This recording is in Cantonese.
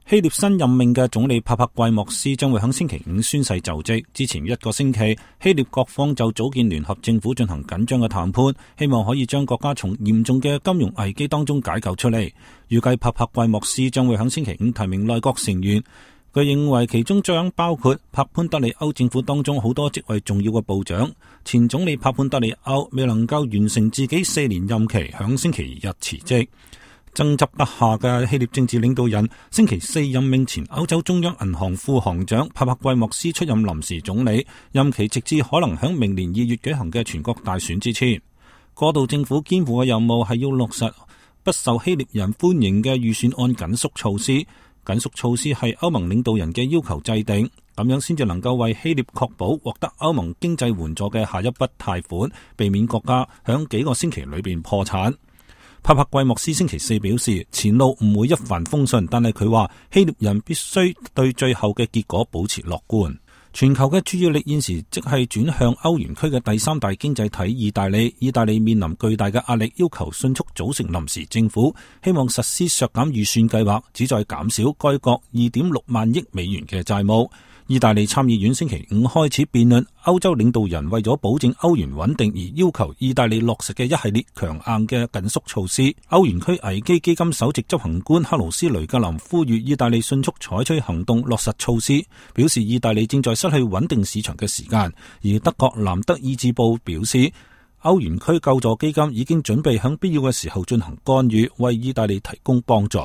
希臘新任命嘅總理帕帕季莫斯將會喺星期五宣誓就職。之前一個星期，希臘各方就組建聯合政府進行緊張嘅談判，希望可以將國家從嚴重嘅金融危機當中解救出嚟。預計帕帕季莫斯將會喺星期五提名內閣成員，佢認為其中將包括帕潘德里歐政府當中好多職位重要嘅部長。前總理帕潘德里歐未能夠完成自己4年任期，響星期日辭職。爭執不下嘅希臘政治領導人星期四任命前歐洲中央銀行副行長帕帕季莫斯出任臨時總理，任期直至可能響明年2月舉行嘅全國大選之前。過渡政府肩負嘅任務係要落實不受希臘人歡迎嘅預算案緊縮措施。緊縮措施係歐盟領導人嘅要求制定，咁樣先至能夠為希臘確保獲得歐盟經濟援助嘅下一筆貸款，避免國家響幾個星期裏邊破產。帕帕季莫斯星期四表示，前路唔會一帆風順，但係佢話希臘人必須對最後嘅結果保持樂觀。全球嘅注意力現時即係轉向歐元區嘅第三大經濟體意大利。意大利面臨巨大嘅壓力，要求迅速組成臨時政府，希望實施削減預算計劃，旨在減少該國2.6萬億美元嘅債務。意大利參議院星期五開始辯論歐洲領導人為咗保證歐元穩定而要求意大利落實嘅一系列強硬嘅緊縮措施。歐元區危機基金首席執行官克勞斯雷格林呼籲意大利迅速採取行動落實措施，表示意大利正在失去穩定市場嘅時間。而德國南德意志報表示，歐元區救助基金已經準備喺必要嘅時候進行干預，為意大利提供幫助。